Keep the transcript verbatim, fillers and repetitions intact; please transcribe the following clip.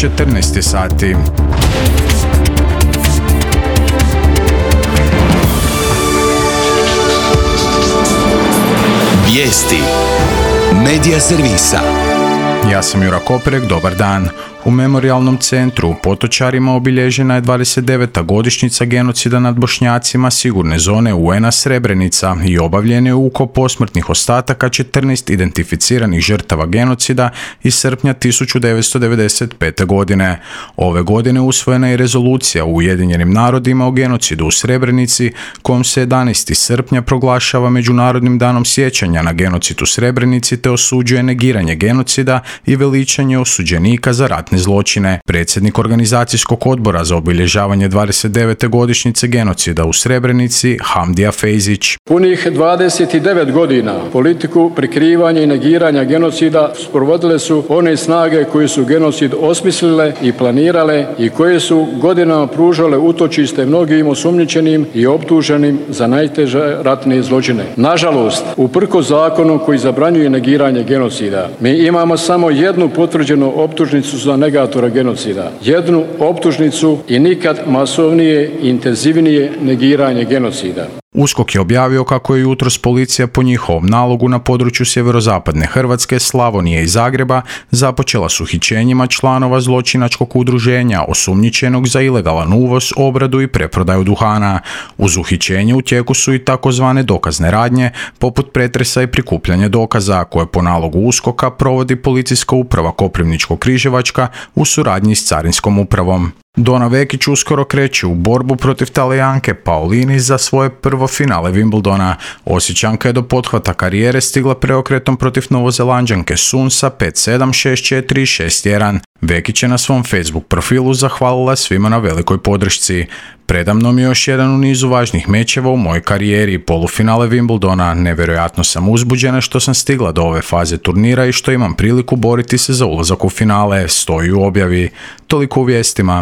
četrnaest sati. Vijesti Medija servisa. Ja sam Jura Koperek, dobar dan. U Memorijalnom centru u Potočarima obilježena je dvadeset deveta godišnjica genocida nad Bošnjacima sigurne zone U N-a Srebrenica i obavljen je ukop posmrtnih ostataka četrnaest identificiranih žrtava genocida iz srpnja tisuću devetsto devedeset pete. godine. Ove godine usvojena je rezolucija u Ujedinjenim narodima o genocidu u Srebrenici, kojom se jedanaestog srpnja proglašava Međunarodnim danom sjećanja na genocid u Srebrenici te osuđuje negiranje genocida i veličanje osuđenika za ratne zločine. Predsjednik organizacijskog odbora za obilježavanje dvadeset devete godišnjice genocida u Srebrenici, Hamdija Fejzić. Punih dvadeset devet godina politiku prikrivanja i negiranja genocida sprovodile su one snage koje su genocid osmislile i planirale i koje su godinama pružale utočište mnogim osumnjičenim i optuženim za najteže ratne zločine. Nažalost, uprkos zakonu koji zabranjuje negiranje genocida, mi imamo samo jednu potvrđenu optužnicu za negatora genocida. Jednu optužnicu i nikad masovnije i intenzivnije negiranje genocida. USKOK je objavio kako je jutros policija po njihovom nalogu na području sjeverozapadne Hrvatske, Slavonije i Zagreba započela s uhićenjima članova zločinačkog udruženja osumnjičenog za ilegalan uvoz, obradu i preprodaju duhana. Uz uhićenje u tijeku su i takozvane dokazne radnje, poput pretresa i prikupljanja dokaza, koje po nalogu USKOK-a provodi Policijska uprava Koprivničko-Križevačka u suradnji s Carinskom upravom. Dona Vekić uskoro kreće u borbu protiv Talijanke Paolini za svoje prvo finale Wimbledona. Osječanka je do pothvata karijere stigla preokretom protiv Novozelanđanke Sunsa pet sedam, šest četiri i šest jedan. Vekić je na svom Facebook profilu zahvalila svima na velikoj podršci. Predamnom je još jedan u nizu važnih mečeva u mojoj karijeri, polufinale Wimbledona. Nevjerojatno sam uzbuđena što sam stigla do ove faze turnira i što imam priliku boriti se za ulazak u finale, stoji u objavi. Toliko u vijestima.